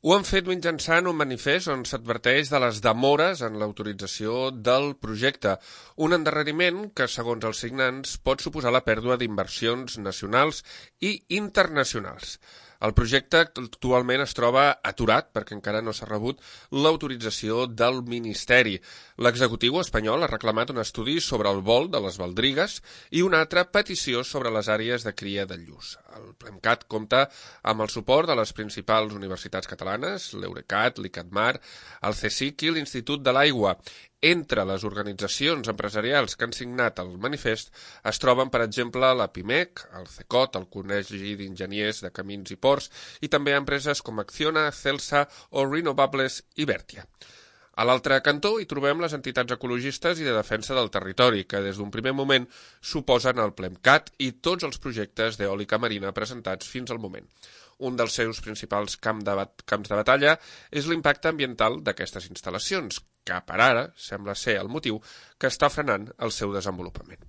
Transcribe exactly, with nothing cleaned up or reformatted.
Ho han fet mitjançant un manifest on s'adverteix de les demores en l'autorització del projecte, un endarreriment que, segons els signants, pot suposar la pèrdua d'inversions nacionals i internacionals. El projecte actualment es troba aturat perquè encara no s'ha rebut l'autorització del Ministeri. L'executiu espanyol ha reclamat un estudi sobre el vol de les baldrigues i una altra petició sobre les àrees de cria de lluç. El PLEMCAT compta amb el suport de les principals universitats catalanes, l'Eurecat, l'ICATMAR, el CSIC i l'Institut de l'Aigua. Entre les organitzacions empresarials que han signat el manifest es troben, per exemple, la PIMEC, el CECOT, el Col·legi d'Enginyers de Camins i Ports, i també empreses com Acciona, Celsa o Renovables i Bertia. A l'altre cantó hi trobem les entitats ecologistes i de defensa del territori, que des d'un primer moment s'oposen al PLEMCAT i tots els projectes d'eòlica marina presentats fins al moment. Un dels seus principals camp de bat- camps de batalla és l'impacte ambiental d'aquestes instal·lacions, que per ara sembla ser el motiu que està frenant el seu desenvolupament.